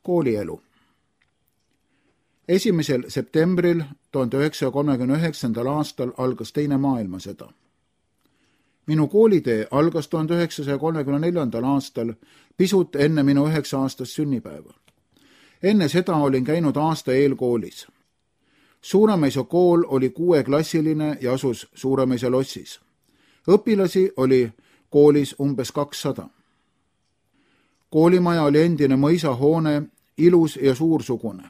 Koolielu. 1. septembril 1939. aastal algas teine maailmasõda. Minu koolitee algas 1934. aastal pisut enne minu 9-aastast sünnipäeva. Enne seda olin käinud aasta eelkoolis. Suuremõisa kool oli 6-klassiline ja asus Suuremõisa lossis. Õpilasi oli koolis umbes 200. Koolimaja oli endine mõisahoone, ilus ja suursugune.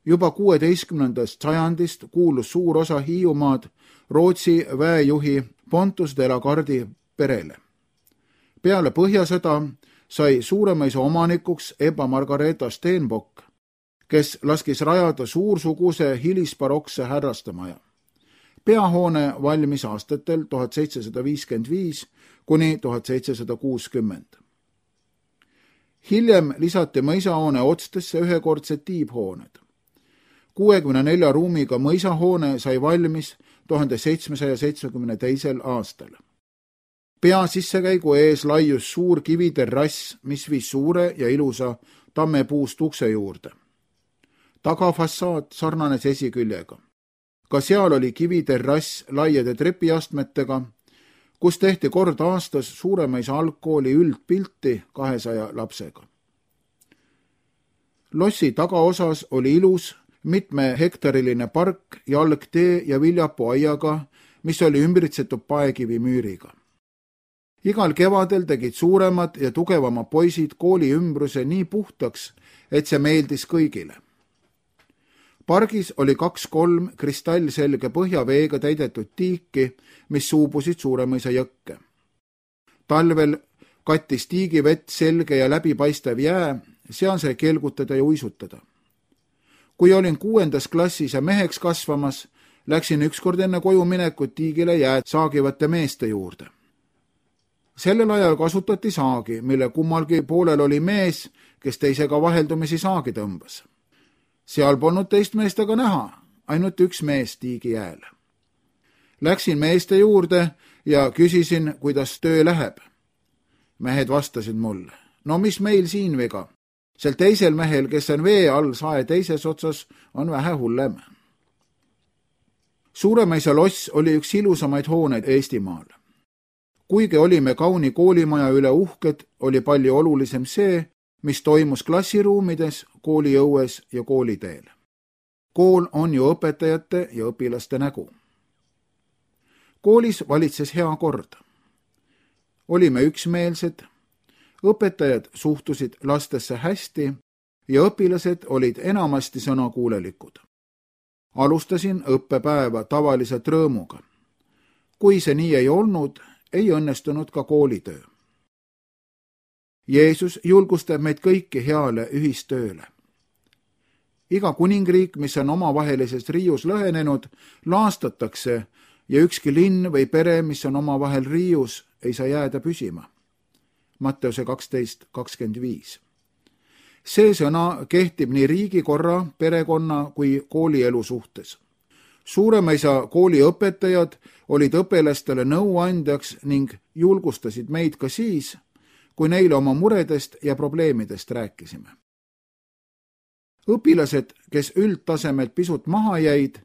Juba 16. sajandist kuulus suur osa Hiiumaad Rootsi väejuhi Pontus de la Gardi perele. Peale Põhjasõda sai Suuremõisa omanikuks Ebba Margareeta Stenbock, kes laskis rajada suursuguse hilisbarokse härrastemaja. Peahoone valmis aastatel 1755 kuni 1760. Hiljem lisati mõisahoone otstesse ühekordsed tiibhooned. 64 ruumiga mõisahoone sai valmis 1772. aastal. Pea sissekäigu ees laius suur kiviterrass, mis viis suure ja ilusa tammepuust ukse juurde. Tagafassaad sarnanes esiküljega. Ka seal oli kiviterrass laiade trepiastmetega, kus tehti kord aastas Suuremõisa algkooli üldpilti 200 lapsega. Lossi tagaosas oli ilus 7-hektariline park, jalgtee ja viljapuaiaga, mis oli ümbritsetud paekivimüüriga. Igal kevadel tegid suuremad ja tugevamad poisid kooli ümbruse nii puhtaks, et see meeldis kõigile. Pargis oli 2-3 kristallselge põhjaveega täidetud tiiki, mis suubusid Suuremõisa jõkke. Talvel kattis tiigivett selge ja läbipaistev jää, seal sai kelgutada ja uisutada. Kui olin 6. klassis ja meheks kasvamas, läksin ükskord enne koju minekut tiigile jääd saagivate meeste juurde. Sellel ajal kasutati saagi, mille kummalgi poolel oli mees, kes teisega vaheldumisi saagi tõmbas. Seal polnud teist meest aga näha, ainult üks mees tiigi jääl. Läksin meeste juurde ja küsisin, kuidas töö läheb. Mehed vastasid mulle, no mis meil siin viga? Sel teisel mehel, kes on vee all sae teises otsas, on vähe hullem. Suuremõisa loss oli üks ilusamaid hooneid Eestimaal. Kuigi olime kauni koolimaja üle uhked, oli palju olulisem see, mis toimus klassiruumides, kooliõues ja kooliteel. Kool on ju õpetajate ja õpilaste nägu. Koolis valitses hea kord. Olime üksmeelsed, õpetajad suhtusid lastesse hästi ja õpilased olid enamasti sõnakuulelikud. Alustasin õppepäeva tavaliselt rõõmuga. Kui see nii ei olnud, ei õnnestunud ka koolitöö. Jeesus julgustab meid kõiki heale ühistööle. Iga kuningriik, mis on omavahelises riius lõhenenud, laastatakse ja ükski linn või pere, mis on omavahel riius, ei saa jääda püsima. Matteuse 12:25. See sõna kehtib nii riigikorra, perekonna kui koolielu suhtes. Suuremõisa kooli õpetajad olid õpilastele nõuandjaks ning julgustasid meid ka siis, kui neile oma muredest ja probleemidest rääkisime. Õpilased, kes üldtasemelt pisut maha jäid,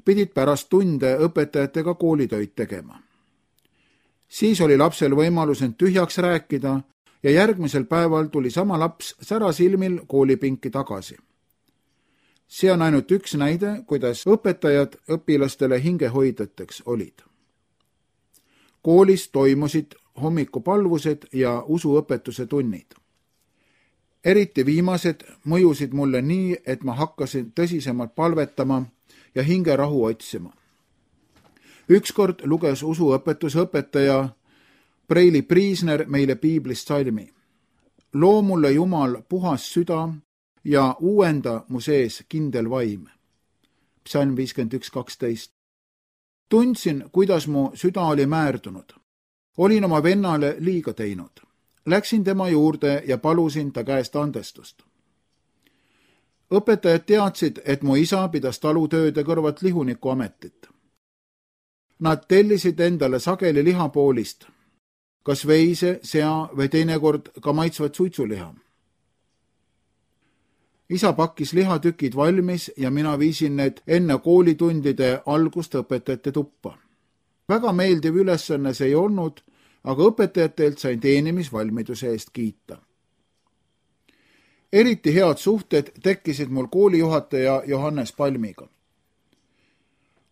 pidid pärast tunde õpetajatega koolitöid tegema. Siis oli lapsel võimalus end tühjaks rääkida ja järgmisel päeval tuli sama laps särasilmil koolipinki tagasi. See on ainult üks näide, kuidas õpetajad õpilastele hingehoidjateks olid. Koolis toimusid hommikupalvused ja usuõpetuse tunnid. Eriti viimased mõjusid mulle nii, et ma hakkasin tõsisemalt palvetama ja hingerahu otsima. Ükskord luges usuõpetuse õpetaja Preili Priisner meile piiblist salmi. Loo mulle Jumal puhas süda ja uuenda mu sees kindel vaim. Psalm 51:12. Tundsin, kuidas mu süda oli määrdunud. Olin oma vennale liiga teinud. Läksin tema juurde ja palusin ta käest andestust. Õpetajad teadsid, et mu isa pidas talutööde kõrvalt lihuniku ametit. Nad tellisid endale sageli lihapoolist, kas veise, sea või teinekord ka maitsvat suitsuliha. isa pakkis lihatükid valmis ja mina viisin need enne koolitundide algust õpetajate tuppa. Väga meeldiv ülesanne see ei olnud, aga õpetajatelt sain teenimisvalmiduse eest kiita. Eriti head suhted tekkisid mul koolijuhataja Johannes Palmiga.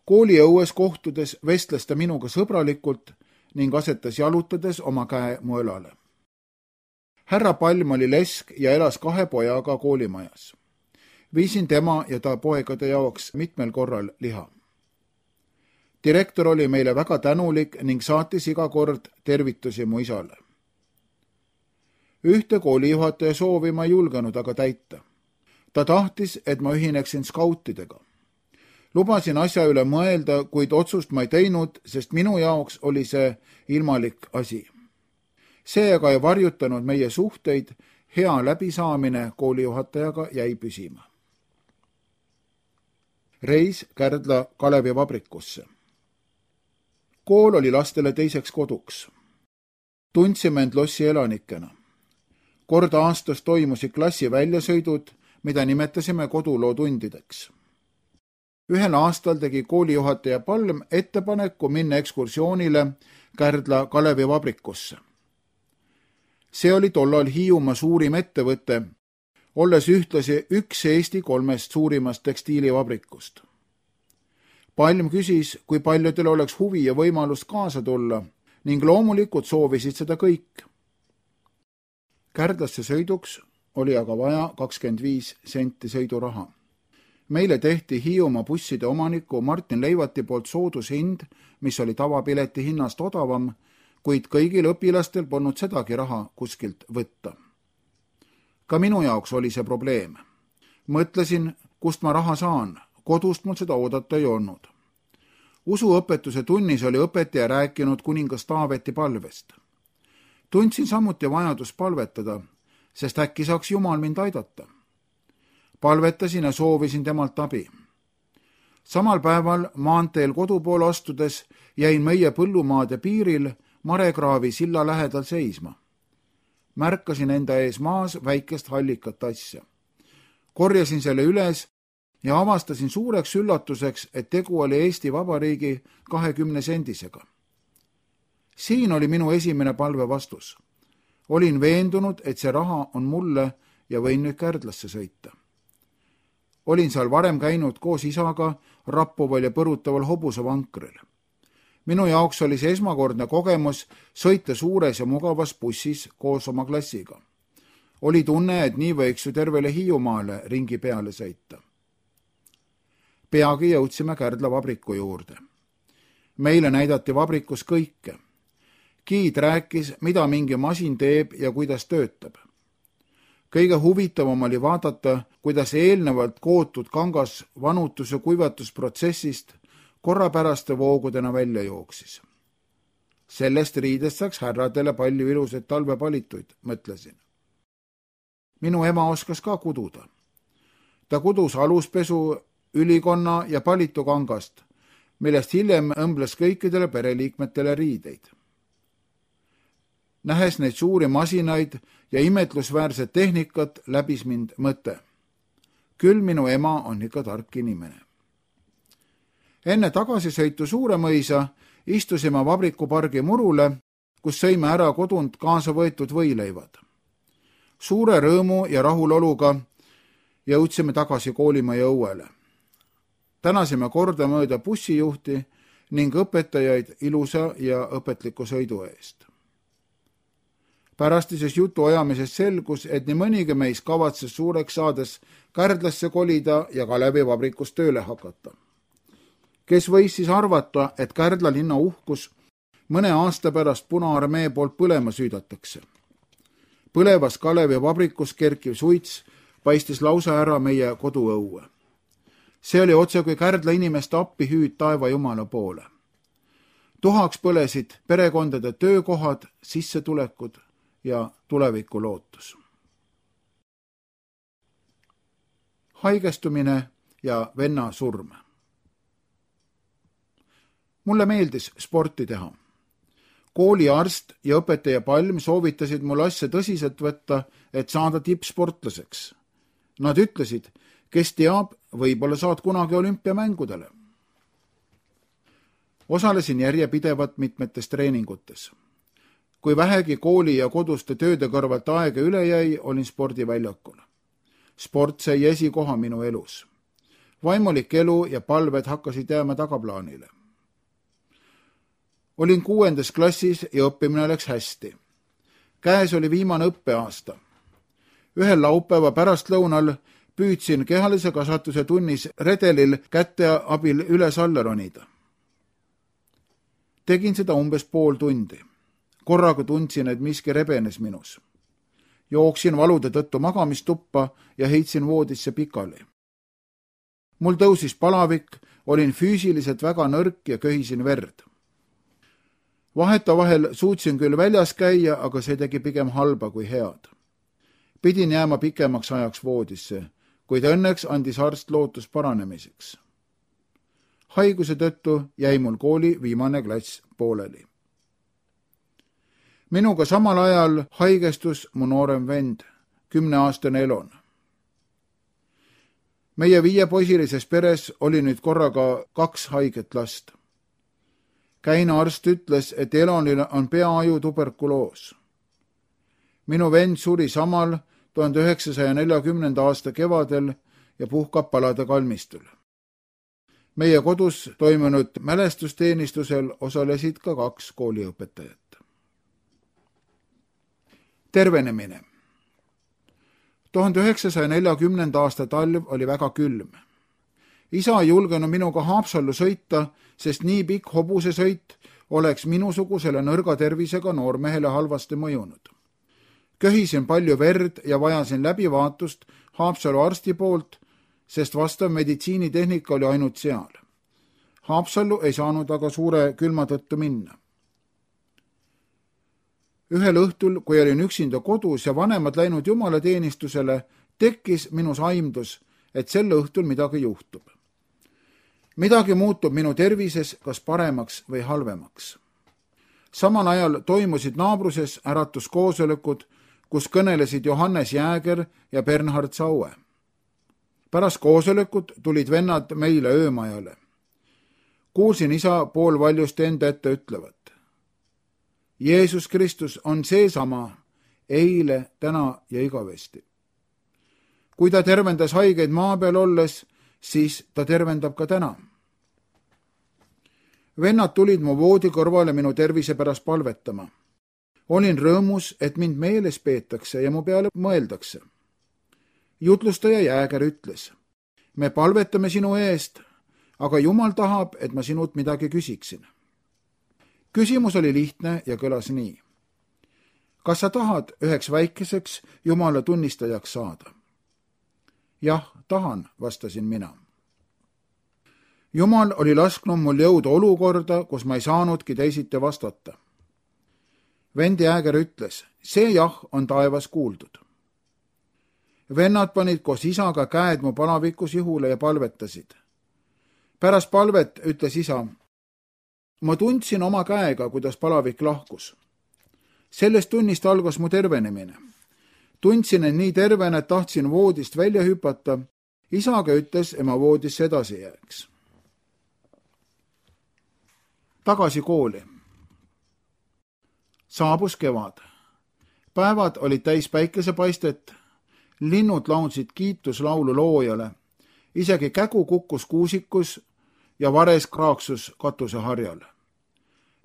Kooliõues kohtudes vestles ta minuga sõbralikult ning asetas jalutades oma käe mu õlale. Härra Palm oli lesk ja elas 2 pojaga koolimajas. Viisin tema ja ta poegade jaoks mitmel korral liha. Direktor oli meile väga tänulik ning saatis iga kord tervitusi mu isale. Ühte koolijuhataja soovi ma ei julgenud aga täita. Ta tahtis, et ma ühineksin skautidega. Lubasin asja üle mõelda, kuid otsust ma ei teinud, sest minu jaoks oli see ilmalik asi. See aga ei varjutanud meie suhteid, hea läbisaamine koolijuhatajaga jäi püsima. Reis Kärdla Kalevivabrikusse. Kool oli lastele teiseks koduks. Tundsime end lossi elanikena. Kord aastas toimusid klassi väljasõidud, mida nimetasime kodulootundideks. Ühel aastal tegi koolijuhataja Palm ettepaneku minna ekskursioonile Kärdla Kalevivabrikusse. See oli tollal Hiiumaa suurim ettevõte, olles ühtlasi üks Eesti 3 suurimast tekstiilivabrikust. Palm küsis, kui paljudel oleks huvi ja võimalust kaasa tulla ning loomulikult soovisid seda kõik. Kärdlasse sõiduks oli aga vaja 25 senti sõiduraha. Meile tehti Hiiumaa busside omaniku Martin Leivati poolt soodushind, mis oli tavapileti hinnast odavam, kuid kõigil õpilastel polnud sedagi raha kuskilt võtta. Ka minu jaoks oli see probleem. Mõtlesin, kust ma raha saan, kodust mul seda oodata ei olnud. Usuõpetuse tunnis oli õpetaja rääkinud kuningas Taaveti palvest. Tundsin samuti vajadus palvetada, sest äkki saaks Jumal mind aidata. Palvetasin ja soovisin temalt abi. Samal päeval maanteel kodupoole astudes jäin meie põllumaade piiril Marekraavi silla lähedal seisma. Märkasin enda ees maas väikest hallikat asja. Korjasin selle üles ja avastasin suureks üllatuseks, et tegu oli Eesti Vabariigi 20 sendisega. Siin oli minu esimene palve vastus. Olin veendunud, et see raha on mulle ja võin nüüd Kärdlasse sõita. Olin seal varem käinud koos isaga rappuval ja põrutaval hobusevankril. Minu jaoks oli see esmakordne kogemus sõita suures ja mugavas bussis koos oma klassiga. Oli tunne, et nii võiks ju tervele Hiiumaale ringi peale sõita. Peagi jõudsime Kärdla vabriku juurde. Meile näidati vabrikus kõike. Giid rääkis, mida mingi masin teeb ja kuidas töötab. Kõige huvitavam oli vaadata, kuidas eelnevalt kootud kangas vanutus- ja kuivatusprotsessist korrapäraste voogudena välja jooksis. Sellest riidest saaks härradele palju ilusaid talvepalituid, mõtlesin. Minu ema oskas ka kududa. Ta kudus aluspesu, ülikonna ja palitu kangast, millest hiljem õmbles kõikidele pereliikmetele riideid. Nähes neid suuri masinaid ja imetlusväärset tehnikat, läbis mind mõte. Küll minu ema on ikka tark inimene. Enne tagasisõitu Suuremõisa istusime vabrikupargi murule, kus sõime ära kodunt kaasa võetud võileivad. Suure rõõmu ja rahuloluga jõudsime tagasi koolimaja õuele. Tänasime kordamööda bussijuhti ning õpetajaid ilusa ja õpetliku sõidu eest. Pärastises jutu ajamisest selgus, et nii mõnigi meis kavatses suureks saades Kärdlasse kolida ja Kalevivabrikus tööle hakata. Kes võis siis arvata, et Kärdla linna uhkus mõne aasta pärast Punaarmee poolt põlema süüdatakse. Põlevas Kalevivabrikus kerkiv suits paistis lausa ära meie koduõue. See oli otse kui Kärdla inimeste appihüüd taeva Jumala poole. Tuhaks põlesid perekondade töökohad, sissetulekud ja tuleviku lootus. Haigestumine ja venna surm. Mulle meeldis sporti teha. Kooliarst ja õpetaja Palm soovitasid mul asja tõsiselt võtta, et saada tippsportlaseks. Nad ütlesid, kes teab, võib-olla saad kunagi olümpiamängudele. Osalesin järjepidevalt mitmetes treeningutes. Kui vähegi kooli ja koduste tööde kõrvalt aega üle jäi, olin spordiväljakul. Sport sai esikoha minu elus. Vaimulik elu ja palved hakkasid jääma tagaplaanile. Olin 6. klassis ja õppimine läks hästi. Käes oli viimane õppeaasta. Ühel laupäeva pärastlõunal püüdsin kehalise kasvatuse tunnis redelil käte abil üles-alla ronida. Tegin seda umbes pool tundi. Korraga tundsin, et miski rebenes minus. Jooksin valude tõttu magamistuppa ja heitsin voodisse pikali. Mul tõusis palavik, olin füüsiliselt väga nõrk ja köhisin verd. Vahetavahel suutsin küll väljas käia, aga see tegi pigem halba kui head. Pidin jääma pikemaks ajaks voodisse, kuid õnneks andis arst lootus paranemiseks. Haiguse tõttu jäi mul kooli viimane klass pooleli. Minuga samal ajal haigestus mu noorem vend, 10-aastane Elon. Meie 5-poisilises peres oli nüüd korraga 2 haiget last. Käina arst ütles, et Elonil on peaaju tuberkuloos. Minu vend suri samal 1940. aasta kevadel ja puhkab palade kalmistul. Meie kodus toimunud mälestusteenistusel osalesid ka 2 kooliõpetajat. Tervenemine. 1940. aasta talv oli väga külm. Isa ei julgenud minuga Haapsallu sõita, sest nii pikk hobusesõit oleks minusugusele nõrga tervisega noormehele halvasti mõjunud. Köhisin palju verd ja vajasin läbivaatust Haapsalu arsti poolt, sest vastav meditsiinitehnika oli ainult seal. Haapsallu ei saanud aga suure külma tõttu minna. Ühel õhtul, kui olin üksinda kodus ja vanemad läinud jumalateenistusele, tekkis minus aimdus, et sel õhtul midagi juhtub. Midagi muutub minu tervises kas paremaks või halvemaks. Samal ajal toimusid naabruses äratuskoosolekud, kus kõnelesid Johannes Jääger ja Bernhard Saue. Pärast koosolekut tulid vennad meile öömajale. Kuulsin isa poolvaljust enda ette ütlevat. Jeesus Kristus on seesama, eile, täna ja igavesti. Kui ta tervendas haigeid maa peal olles, siis ta tervendab ka täna. Vennad tulid mu voodi kõrvale minu tervise pärast palvetama. Olin rõõmus, et mind meeles peetakse ja mu peale mõeldakse. Jutlustaja Jääger ütles, me palvetame sinu eest, aga Jumal tahab, et ma sinult midagi küsiksin. Küsimus oli lihtne ja kõlas nii. Kas sa tahad üheks väikeseks Jumala tunnistajaks saada? Jah, tahan, vastasin mina. Jumal oli lasknud mul jõuda olukorda, kus ma ei saanudki teisiti vastata. Vend Jääger ütles, see jah on taevas kuuldud. Vennad panid koos isaga käed mu palavikus ihule ja palvetasid. Pärast palvet ütles isa, ma tundsin oma käega, kuidas palavik lahkus. Sellest tunnist algas mu tervenemine. Tundsin, et nii tervena, et tahtsin voodist välja hüpata. Isaga ütles, et ma voodisse edasi jääks. Tagasi kooli. Saabus kevad. Päevad olid täis päikesepaistet. Linnud laulsid kiituslaulu loojale. Isegi kägu kukkus kuusikus ja vares kraaksus katuseharjal.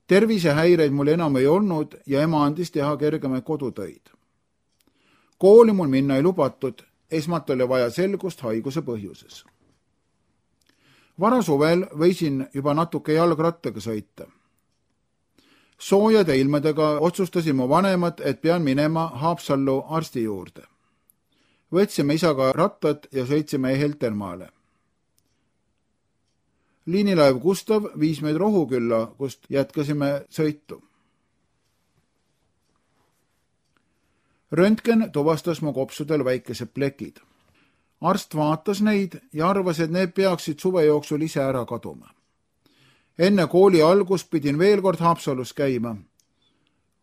Tervisehäireid mul enam ei olnud ja ema andis teha kergemaid kodutöid. Kooli mul minna ei lubatud, esmalt oli vaja selgust haiguse põhjuses. Varasuvel võisin juba natuke jalgrattaga sõita. Soojade ilmadega otsustasin mu vanemad, et pean minema Haapsallu arsti juurde. Võtsime isaga rattad ja sõitsime Heltermaale. Liinilaev Gustav viis meid Rohukülla, kust jätkasime sõitu. Röntgen tuvastas mu kopsudel väikesed plekid. Arst vaatas neid ja arvas, et need peaksid suve jooksul ise ära kaduma. Enne kooli algust pidin veel kord Haapsalus käima.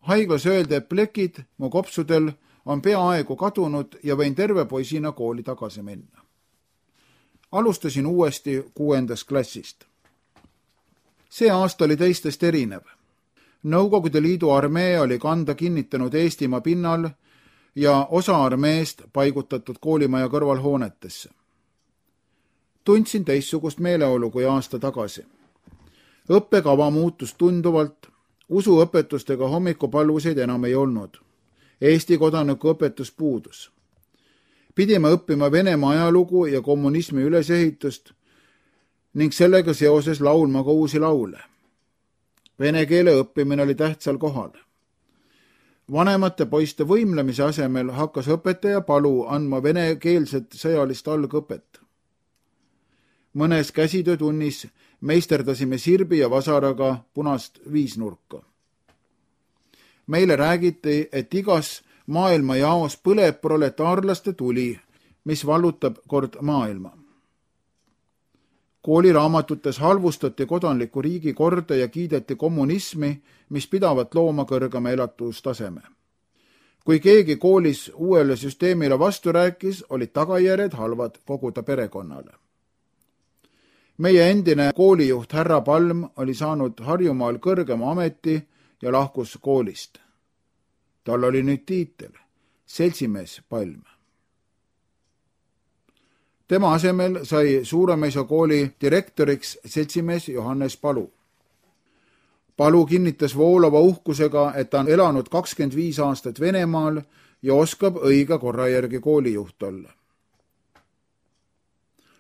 Haiglas öeldi, et plekid mu kopsudel on peaaegu kadunud ja võin terve poisina kooli tagasi minna. Alustasin uuesti 6. klassist. See aasta oli teistest erinev. Nõukogude Liidu armee oli kanda kinnitanud Eestimaa pinnal ja osa armeest paigutatud koolimaja kõrvalhoonetesse. Tundsin teistsugust meeleolu kui aasta tagasi. Õppekava muutus tunduvalt, usuõpetustega hommikupalvuseid enam ei olnud. Eesti kodanikuõpetus puudus. Pidime õppima Venemaa ajalugu ja kommunismi ülesehitust ning sellega seoses laulma ka uusi laule. Vene keele õppimine oli tähtsal kohal. Vanemate poiste võimlemise asemel hakkas õpetaja Palu andma venekeelset sõjalist algõpet. Mõnes käsitöötunnis meisterdasime sirbi ja vasaraga punast viisnurka. Meile räägiti, et igas maailma jaos põleb proletaarlaste tuli, mis vallutab kord maailma. Kooliraamatutes halvustati kodanliku riigi korda ja kiideti kommunismi, mis pidavat looma kõrgema elatustaseme. Kui keegi koolis uuele süsteemile vastu rääkis, olid tagajärjed halvad kogu ta perekonnale. Meie endine koolijuht härra Palm oli saanud Harjumaal kõrgema ameti ja lahkus koolist. Tal oli nüüd tiitel, seltsimees Palm. Tema asemel sai Suuremõisa kooli direktoriks seltsimees Johannes Palu. Palu kinnitas voolava uhkusega, et ta on elanud 25 aastat Venemaal ja oskab õige korra järgi koolijuht olla.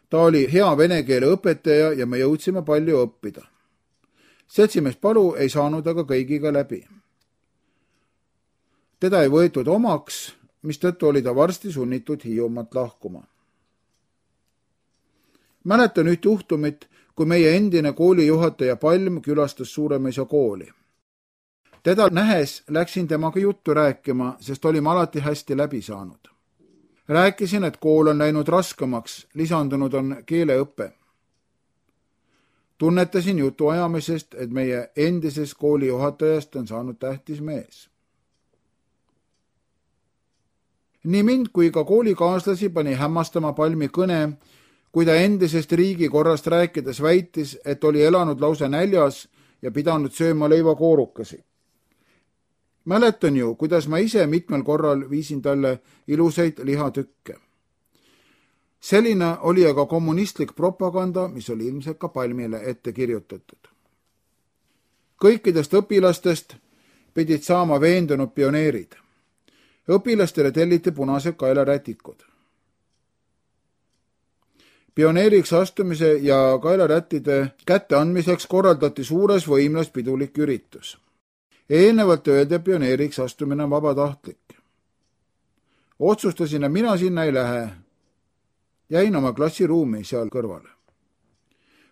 Ta oli hea vene keele õpetaja ja me jõudsime palju õppida. Seltsimees Palu ei saanud aga kõigiga läbi. Teda ei võetud omaks, mistõttu oli ta varsti sunnitud Hiiumaalt lahkuma. Mäletan üht juhtumit, kui meie endine koolijuhataja Palm külastas Suuremõisa kooli. Teda nähes läksin temaga juttu rääkima, sest olime alati hästi läbi saanud. Rääkisin, et kool on läinud raskemaks, lisandunud on keeleõpe. Tunnetasin jutu ajamisest, et meie endisest koolijuhatajast on saanud tähtis mees. Nii mind kui ka koolikaaslasi pani hämmastama Palmi kõne, kui ta endisest riigikorrast rääkides väitis, et oli elanud lausa näljas ja pidanud sööma leivakoorukasi. Mäletan ju, kuidas ma ise mitmel korral viisin talle ilusaid lihatükke. Selline oli aga kommunistlik propaganda, mis oli ilmselt ka Palmile ette kirjutatud. Kõikidest õpilastest pidid saama veendunud pioneerid. Õpilastele telliti punased kaelarätikud. Pioneeriks astumise ja kaelarättide kätte andmiseks korraldati suures võimlas pidulik üritus. Eelnevalt öeldi, pioneeriks astumine on vabatahtlik. Otsustasin, et mina sinna ei lähe. Jäin oma klassiruumi seal kõrvale.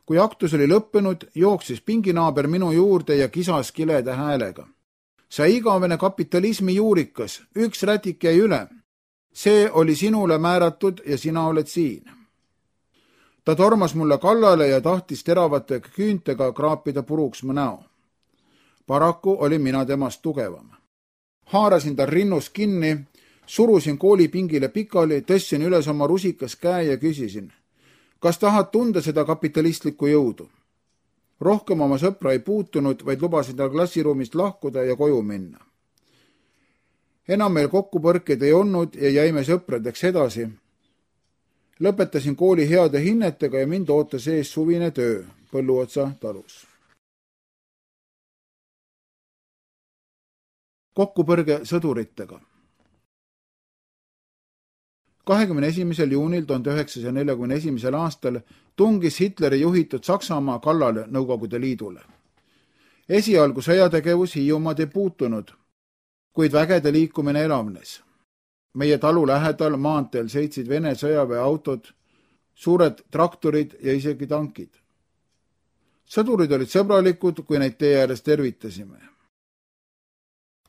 Kui aktus oli lõppenud, jooksis pinginaaber minu juurde ja kisas kileda häälega. Sa igavene kapitalismi juurikas, üks rätik jäi üle. See oli sinule määratud ja sina oled siin. Ta tormas mulle kallale ja tahtis teravate küüntega kraapida puruks mu näo. Paraku oli mina temast tugevam. Haarasin tal rinnust kinni, surusin koolipingile pikali, tõstsin üles oma rusikas käe ja küsisin, kas tahad tunda seda kapitalistlikku jõudu? Rohkem oma sõpra ei puutunud, vaid lubasin tal klassiruumist lahkuda ja koju minna. Enam meil kokkupõrkeid ei olnud ja jäime sõpradeks edasi. Lõpetasin kooli heade hinnetega ja mind ootas ees suvine töö Põlluotsa talus. Kokkupõrge sõduritega. 21. juunil 1941. aastal tungis Hitleri juhitud Saksamaa kallale Nõukogude Liidule. Esialgu sõjategevus Hiiumaad ei puutunud, kuid vägede liikumine elavnes. Meie talu lähedal maanteel sõitsid Vene sõjaväeautod, suured traktorid ja isegi tankid. Sõdurid olid sõbralikud, kui neid tee ääres tervitasime.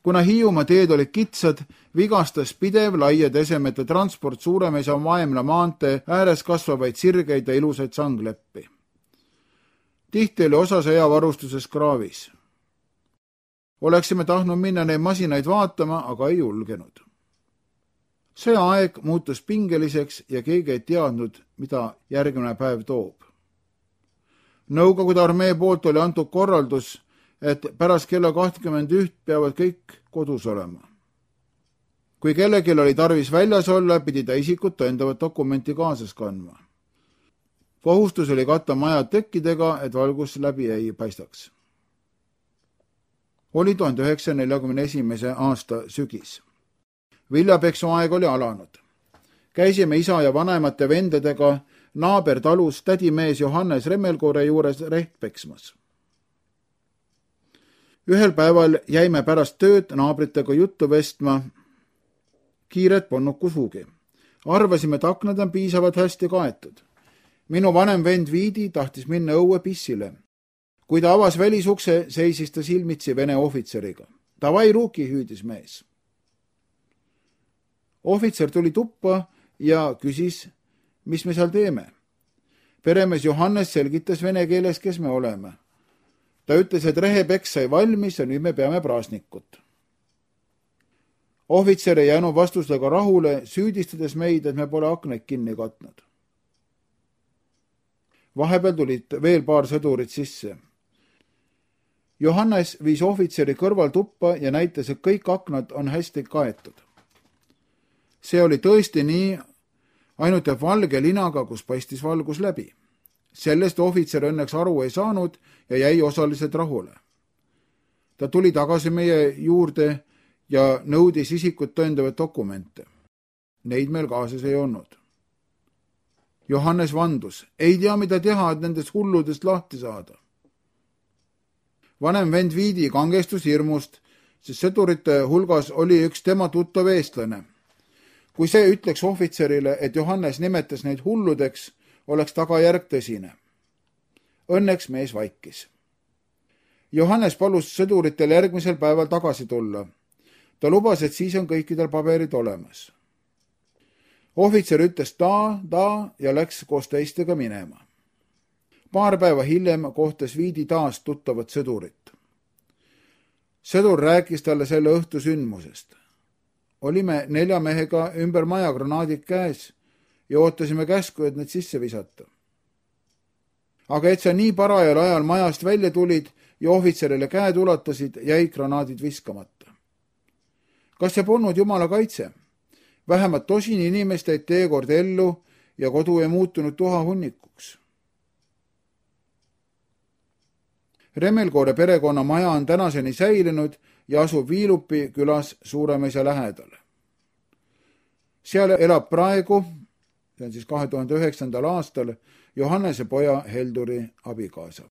Kuna Hiiumaa teed olid kitsad, vigastas pidev laiad esemete transport Suuremõisa Vaemla maantee ääres kasvavaid sirgeid ja ilusaid sangleppi. Tihti oli osa sõjavarustuses kraavis. Oleksime tahtnud minna neid masinaid vaatama, aga ei julgenud. see aeg muutus pingeliseks ja keegi ei teadnud, mida järgmine päev toob. Nõukogude armee poolt oli antud korraldus, et pärast kella 21 peavad kõik kodus olema. Kui kellelgi oli tarvis väljas olla, pidi ta isikut tõendavat dokumenti kaasas kandma. Kohustus oli katta majad tekkidega, et valgus läbi ei paistaks. Oli 1941. aasta sügis. Viljapeksu aeg oli alanud. Käisime isa ja vanemate vendadega naabertalus tädimees Johannes Remmelkoore juures reht peksmas. Ühel päeval jäime pärast tööd naabritega juttu vestma. Kiiret polnud kuhugi. Arvasime, et aknad on piisavalt hästi kaetud. Minu vanem vend Viidi tahtis minna õue pissile. Kui ta avas välisukse, seisis ta silmitsi Vene ohvitseriga. Davai ruuki, hüüdis mees. Ohvitser tuli tuppa ja küsis, mis me seal teeme. Peremees Johannes selgitas vene keeles, kes me oleme. Ta ütles, et rehepeks sai valmis ja nüüd me peame praasnikut. Ohvitser ei jäänud vastusega rahule, süüdistades meid, et me pole aknaid kinni katnud. Vahepeal tulid veel paar sõdurit sisse. Johannes viis ohvitseri kõrval tuppa ja näitas, et kõik aknad on hästi kaetud. See oli tõesti nii, ainult et valge linaga, kus paistis valgus läbi. Sellest ohvitser õnneks aru ei saanud ja jäi osaliselt rahule. Ta tuli tagasi meie juurde ja nõudis isikut tõendavaid dokumente. Neid meil kaasas ei olnud. Johannes vandus, ei tea, mida teha, et nendest hulludest lahti saada. Vanem vend Viidi kangestus hirmust, sest sõdurite hulgas oli üks tema tuttav eestlane. Kui see ütleks ohvitserile, et Johannes nimetas neid hulludeks, oleks tagajärg tõsine. Õnneks mees vaikis. Johannes palus sõduritel järgmisel päeval tagasi tulla. Ta lubas, et siis on kõikidel paberid olemas. Ohvitser ütles ta ja läks koos teistega minema. Paar päeva hiljem kohtas Viidi taas tuttavat sõdurit. Sõdur rääkis talle selle õhtu sündmusest. Olime 4 mehega ümber maja granaadid käes ja ootasime käsku, et need sisse visata. Aga et sa nii parajal ajal majast välja tulid ja ohvitserile käed ulatasid, jäid granaadid viskamata. Kas see polnud jumala kaitse? Vähemalt tosin inimest jäid teekord ellu ja kodu ei muutunud tuhahunnikuks. Remmelkoore perekonna maja on tänaseni säilinud ja asub Viilupi külas Suuremõisa lähedal. Seal elab praegu, see on siis 2009. aastal, Johannese poja Helduri abikaasa.